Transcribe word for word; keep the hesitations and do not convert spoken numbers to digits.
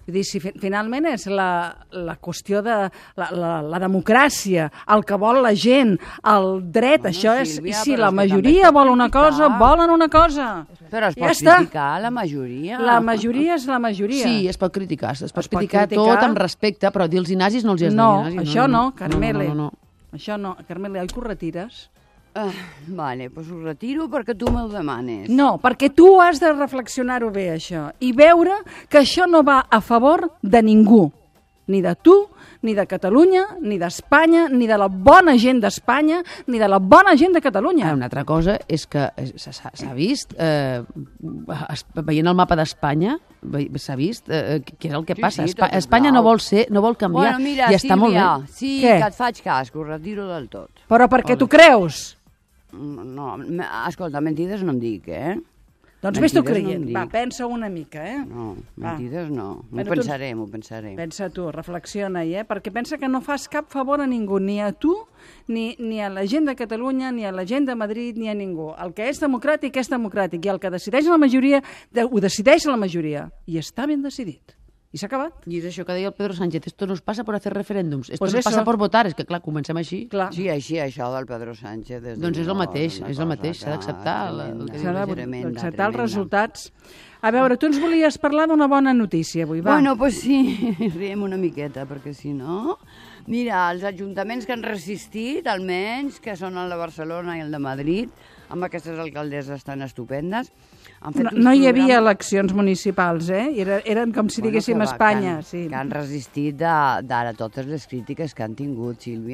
Vull dir, si fi finalment és la, la qüestió de la, la, la democràcia, el que vol la gent, el dret, bueno, això és... I si la majoria vol una cosa, volen una cosa. Però es pot ja criticar la majoria. La majoria és la majoria. Sí, es pot criticar, es pot, es pot criticar, criticar tot amb respecte, però dir els nazis no els has no, de dir nazis. Això no, no, Carmele. No, no, no, no. Això no, Carmele, oi que ho retires? Ah, vale, doncs ho retiro perquè tu me'l demanes. No, perquè tu has de reflexionar-ho bé, això, i veure que això no va a favor de ningú, ni de tu, ni de Catalunya, ni d'Espanya, ni de la bona gent d'Espanya, ni de la bona gent de Catalunya. Ah, una altra cosa és que s'ha vist, eh, veient el mapa d'Espanya, s'ha vist eh, què és el que sí, passa. sí, Espa Espanya no vol ser, no vol canviar, bueno, mira, i està Sílvia, molt bé. Sí, Què? que et faig cas, que ho retiro del tot. Però perquè tu creus? No, escolta, mentides no em dic, eh? Doncs vés tu creient. Va, pensa una mica, eh? No, mentides no. M'ho Bueno, pensaré, m'ho pensaré. Pensa tu, reflexiona-hi, eh? Perquè pensa que no fas cap favor a ningú, ni a tu, ni, ni a la gent de Catalunya, ni a la gent de Madrid, ni a ningú. El que és democràtic és democràtic, i el que decideix la majoria, ho decideix la majoria. I està ben decidit. I s'ha acabat. I és això que deia el Pedro Sánchez, esto nos pasa por hacer referéndums, esto Pues nos eso. pasa por votar, és que clar, comencem així. Clar. Sí, així, això del Pedro Sánchez... Des Doncs és el no, mateix, una és el cosa mateix, s'ha que d'acceptar el- el que S'ha tremenda, d'acceptar els tremenda. resultats. A veure, tu ens volies parlar d'una bona notícia avui, va. Bueno, pues sí, riem una miqueta, perquè si no... Mira, els ajuntaments que han resistit, almenys, que són el de Barcelona i el de Madrid, amb aquestes alcaldesses tan estupendes, han fet No, uns no hi havia programes- eleccions municipals, eh? Era, eren com si Bueno, diguéssim que va, Espanya. Que han, Sí. que han resistit d'ara totes les crítiques que han tingut, Sílvia.